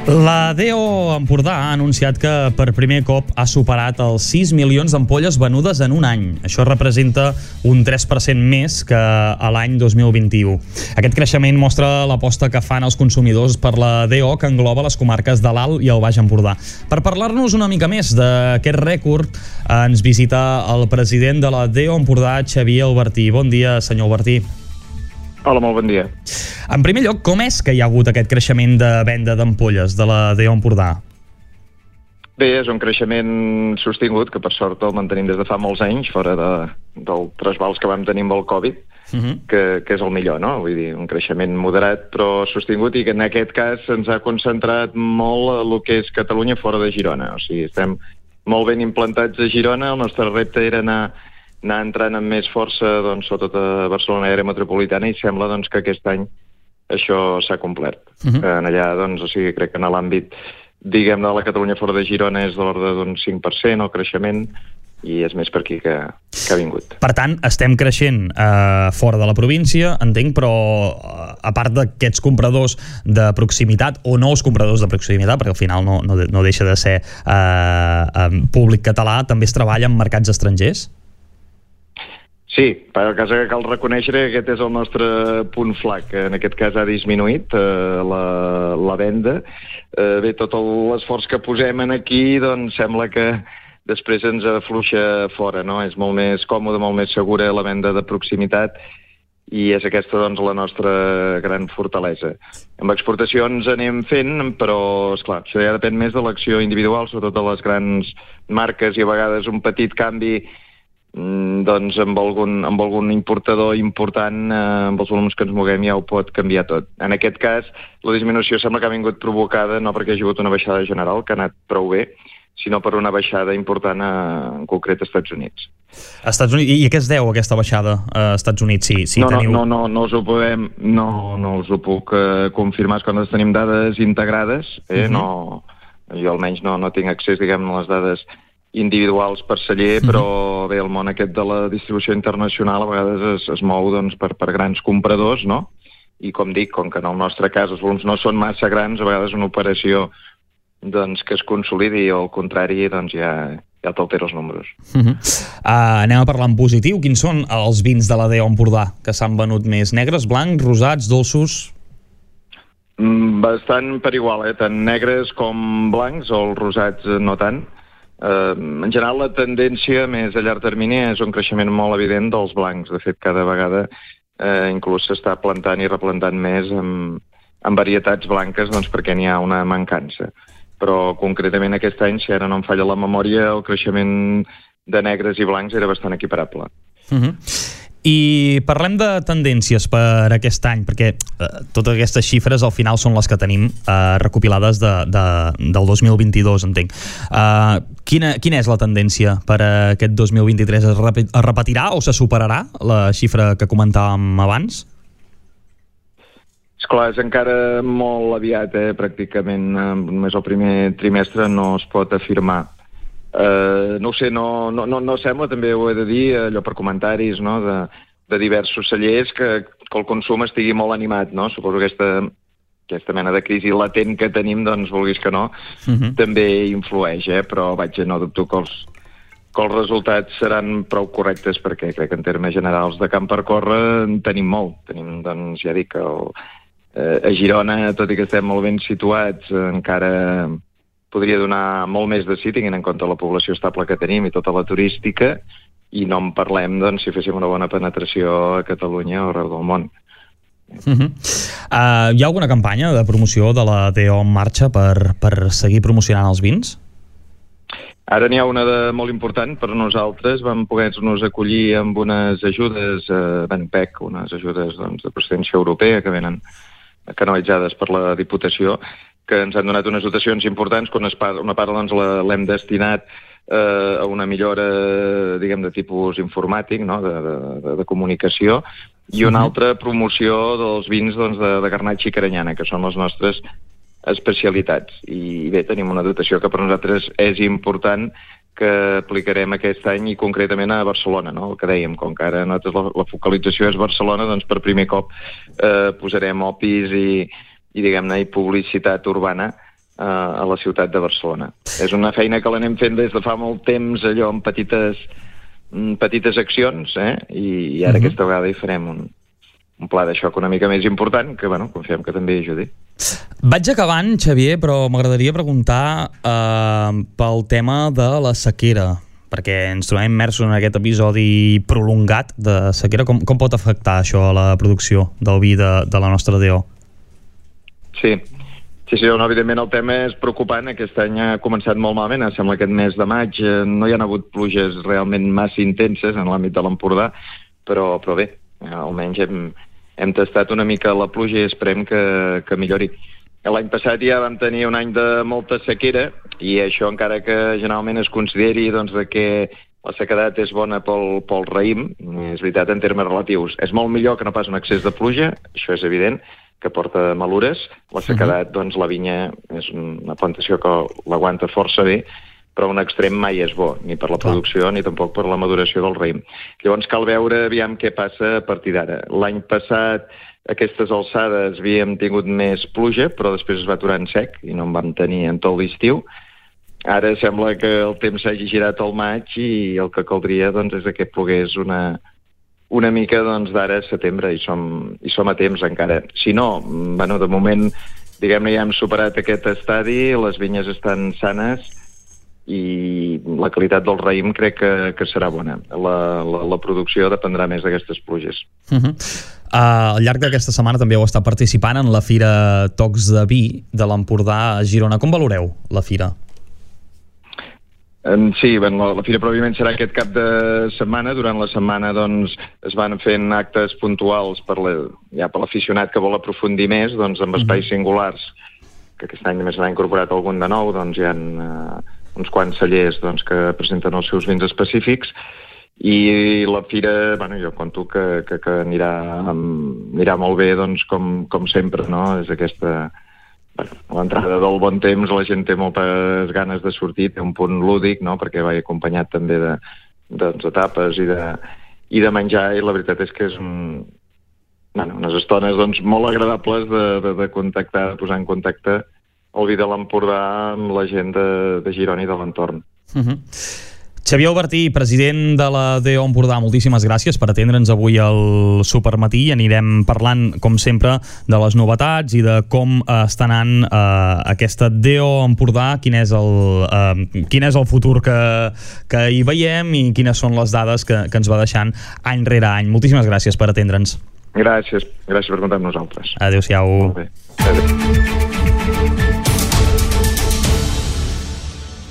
La DO Empordà ha anunciat que per primer cop ha superat els 6 milions d'ampolles venudes en un any. Això representa un 3% més que a l'any 2021. Aquest creixement mostra l'aposta que fan els consumidors per la DO, que engloba les comarques de l'Alt i el Baix Empordà. Per parlar-nos una mica més d'aquest rècord, ens visita el president de la DO Empordà, Xavier Albertí. Bon dia, senyor Albertí. Hola, molt bon dia. En primer lloc, com és que hi ha hagut aquest creixement de venda d'ampolles de la DO Empordà? Bé, és un creixement sostingut, que per sort el mantenim des de fa molts anys, fora del trasbals que vam tenir amb el Covid, que és el millor, no? Vull dir, un creixement moderat però sostingut, i que en aquest cas se'ns ha concentrat molt el que és Catalunya fora de Girona. O sigui, estem molt ben implantats a Girona, el nostre repte era anar entrant amb més força, doncs, sobretot a Barcelona i àrea metropolitana, i sembla doncs, que aquest any això s'ha complert. En allà, doncs, o sigui, crec que en l'àmbit, diguem, de la Catalunya fora de Girona és de l'ordre d'un 5% el creixement, i és més per aquí que ha vingut. Per tant, estem creixent fora de la província, entenc, però a part d'aquests compradors de proximitat, o nous compradors de proximitat, perquè al final no deixa de ser públic català, també es treballa en mercats estrangers? Sí, per cas que cal reconèixer que aquest és el nostre punt flac. En aquest cas ha disminuït la venda. Bé, tot l'esforç que posem aquí, doncs sembla que després ens afluixa fora, no? És molt més còmode, molt més segura la venda de proximitat, i és aquesta, doncs, la nostra gran fortalesa. Amb exportacions anem fent, però, esclar, això ja depèn més de l'acció individual, sobretot de les grans marques, i a vegades un petit canvi doncs amb algun importador important, amb els volums que ens moguem, ja ho pot canviar tot. En aquest cas, la disminució sembla que ha vingut provocada no perquè hi ha hagut una baixada general, que ha anat prou bé, sinó per una baixada important en concret als Estats Units. I a què es deu aquesta baixada als Estats Units? No us ho puc confirmar, quan tenim dades integrades, jo almenys no tinc accés, diguem, a les dades individuals per celler, però bé, el món aquest de la distribució internacional a vegades es mou, doncs, per grans compradors, no? I com dic, com que en el nostre cas els volums no són massa grans, a vegades una operació, doncs, que es consolidi, o al contrari, doncs ja t'altera els números. Anem a parlar en positiu. Quins són els vins de la DO Empordà que s'han venut més? Negres, blancs, rosats, dolços? Bastant per igual, tant negres com blancs, o els rosats no tant. En general, la tendència més a llarg termini és un creixement molt evident dels blancs. De fet, cada vegada inclús s'està plantant i replantant més en varietats blanques, doncs, perquè n'hi ha una mancança. Però concretament aquest any, si ara no em falla la memòria, el creixement de negres i blancs era bastant equiparable. I parlem de tendències per aquest any, perquè totes aquestes xifres al final són les que tenim recopilades del 2022, entenc. Quina és la tendència per aquest 2023? Es repetirà o se superarà la xifra que comentàvem abans? Esclar, és encara molt aviat, pràcticament només el primer trimestre no es pot afirmar. No ho sé, no sembla, també ho he de dir, allò per comentaris, no?, de diversos cellers, que el consum estigui molt animat, no? Suposo que aquesta mena de crisi latent que tenim, doncs, vulguis que no, també influeix, però no dubto que els resultats seran prou correctes, perquè crec que en termes generals de camp per córrer en tenim molt. Tenim, doncs, ja dic, a Girona, tot i que estem molt ben situats, encara podria donar molt més de sí, tinguent en compte la població estable que tenim i tota la turística, i no en parlem, doncs, si féssim una bona penetració a Catalunya o arreu del món. Hi ha alguna campanya de promoció de la DO en marxa per seguir promocionant els vins? Ara n'hi ha una molt important per nosaltres. Vam poder-nos acollir amb unes ajudes, PEC, unes ajudes, doncs, de procedència europea que venen canalitzades per la Diputació, que ens han donat unes dotacions importants, que una part doncs, l'hem destinat a una millora, diguem, de tipus informàtic, no?, de comunicació, i una altra promoció dels vins, doncs, de Garnatxa i Caranyana, que són les nostres especialitats. I bé, tenim una dotació que per nosaltres és important, que aplicarem aquest any, i concretament a Barcelona, no?, el que dèiem, com que ara nosaltres la focalització és Barcelona, doncs per primer cop posarem opis i diguem-ne, publicitat urbana a la ciutat de Barcelona. És una feina que l'anem fent des de fa molt temps, allò amb petites accions, i ara aquesta vegada hi farem un pla de xoc una mica més important, que confiem que també ajudi. Vaig acabant, Xavier, però m'agradaria preguntar pel tema de la sequera, perquè ens trobem immersos en aquest episodi prolongat de sequera. Com pot afectar això a la producció del vi de la nostra DO? Sí, evidentment el tema és preocupant. Aquest any ha començat molt malament. Sembla que aquest mes de maig no hi ha hagut pluges realment massa intenses en l'àmbit de l'Empordà, però bé, almenys hem tastat una mica la pluja i esperem que millori. L'any passat ja vam tenir un any de molta sequera i això, encara que generalment es consideri que la sequedat és bona pel raïm, és veritat en termes relatius. És molt millor que no pas un excés de pluja, això és evident, que porta malures. La sequedat, la vinya és una plantació que l'aguanta força bé, però un extrem mai és bo, ni per la producció ni tampoc per la maduració del raïm. Llavors cal veure aviam què passa a partir d'ara. L'any passat, a aquestes alçades, havíem tingut més pluja, però després es va aturar en sec i no en vam tenir en tot l'estiu. Ara sembla que el temps s'hagi girat al maig i el que caldria és que plogués una mica d'ara a setembre, i som a temps encara. Si no, de moment, diguem-ne, ja hem superat aquest estadi, les vinyes estan sanes i la qualitat del raïm crec que serà bona. La producció dependrà més d'aquestes pluges. Al llarg d'aquesta setmana també heu estat participant en la Fira Tocs de Vi de l'Empordà a Girona. Com valoreu la Fira? Sí, la Fira pròpiament serà aquest cap de setmana. Durant la setmana es van fent actes puntuals per l'aficionat que vol aprofundir més, amb espais singulars, que aquest any més n'ha incorporat algun de nou. Hi ha uns quants cellers que presenten els seus vins específics, i la fira, jo conto que anirà molt bé, com sempre, no? És aquesta... l'entrada del bon temps, la gent té moltes ganes de sortir, té un punt lúdic, no? Perquè va acompanyat també d'etapes i de menjar, i la veritat és que és unes estones molt agradables de contactar, de posar en contacte el vi de l'Empordà amb la gent de Girona i de l'entorn. Xavier Albertí, president de la DO Empordà, moltíssimes gràcies per atendre'ns avui al Supermatí. Anirem parlant, com sempre, de les novetats i de com està anant aquesta DO Empordà, quin és el futur que hi veiem i quines són les dades que ens va deixant any rere any. Moltíssimes gràcies per atendre'ns. Gràcies per comptar amb nosaltres. Adéu-siau. Molt bé. Adéu.